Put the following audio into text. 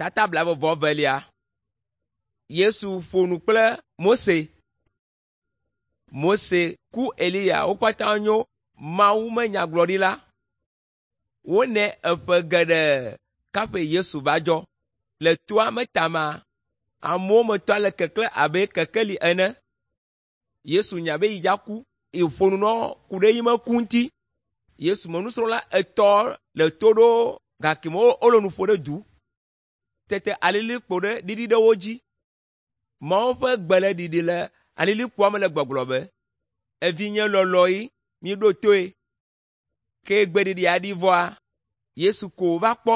Tata blaeve-vɔ-evelia. Yesu ƒo nu kple Mose. Mose ku Eliya wo katã nyo Mawu me nyagblɔɖila. Wonɛ eƒe geɖe kaƒe Yesu va dzɔ. Le toa me tamaa, amewo me tɔ le keklẽ abe kekeli ene. Yesu nya be yi dza ku yi ƒo nu nɔ ku ɖe yi me ku ŋuti. Yesu me nusrɔ̃la etɔ̃ le to ɖo gake me wole nu ƒo ɖe du. Tete alilikpo ɖe ɖiɖi ɖe wo dzi. Mawu ƒe gbe le ɖiɖi le alilikpoa me le gbɔgblɔ be, “Evinye lɔlɔ̃e, miɖo toe.” Ke gbeɖiɖia ɖi vɔa, Yesu ko wòva kpɔ.